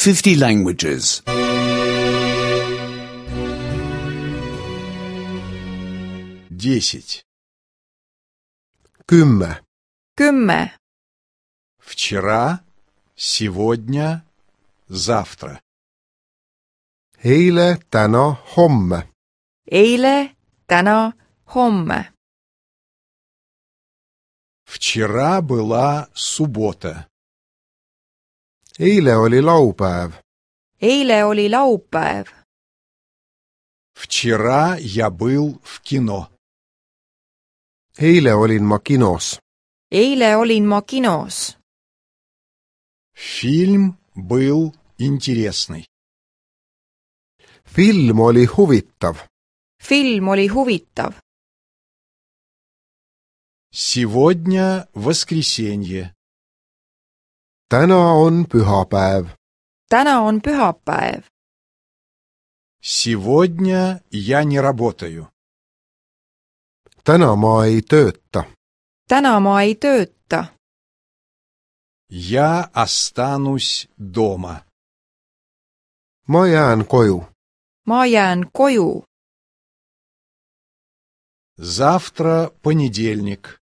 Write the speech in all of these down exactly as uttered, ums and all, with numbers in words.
fifty languages. Десять. Kümme. Kümme. Вчера, сегодня, завтра. Eile, täna, homme. Eile, täna, homme. Вчера была суббота. Eile oli laupäev. Eile oli laupäev. Вчера я был в кино. Eile olin ma kinos. Eile olin ma kinos. Фильм был интересный. Film oli huvitav. Film oli huvitav. Сегодня воскресенье. Täna on pühapäev. Täna on pühapäev. Сегодня я не работаю. Täna ma ei tööta. Täna ma ei tööta. Я останусь дома. Ma jään koju. Ma jään koju. Завтра понедельник.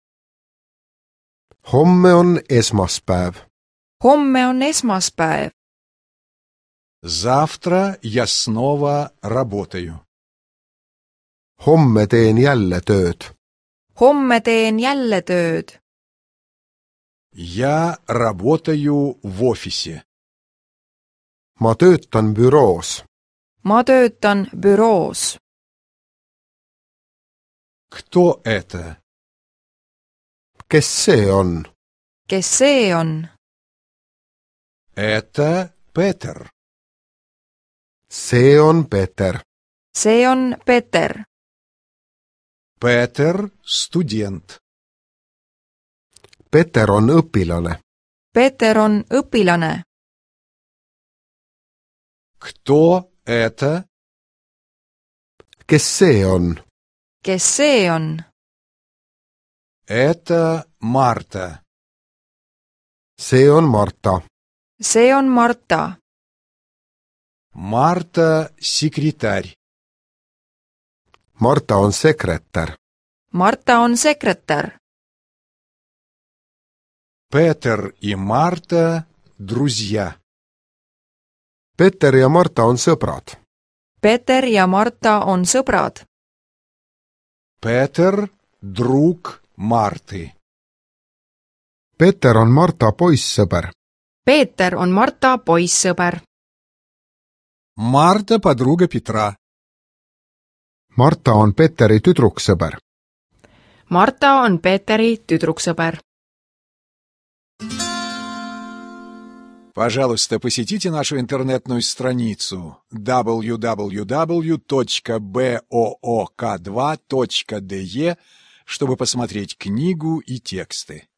Homme on esmaspäev. Homme on esmaspäev. Завтра я снова работаю. Homme teen jälle tööd. Homme teen jälle tööd. Я работаю в офисе. Ma töötan büroos. Ma töötan büroos. Кто это? Kes see on? Kes see on? Это Петер. See on Peeter. See on Peeter. Петер – студент. Peeter on õpilane. Peeter on õpilane. Кто это? Kes see on? Kes see on? Это Марта. See on Marta. See on Marta. Марта – секретарь. Marta on sekretär. Marta on sekretär. Петер и Марта – друзья. Peeter ja Marta on sõbrad. Peeter ja Marta on sõbrad. Петер – друг Марты. Peeter on Marta poissõber. Peeter on Marta poissõber. Марта – подруга Петра. Marta on Peeteri tüdruksõber. Marta on Peeteri tüdruksõber. Пожалуйста, посетите нашу интернетную страницу дабл ю дабл ю дабл ю точка боок два точка де, чтобы посмотреть книгу и тексты.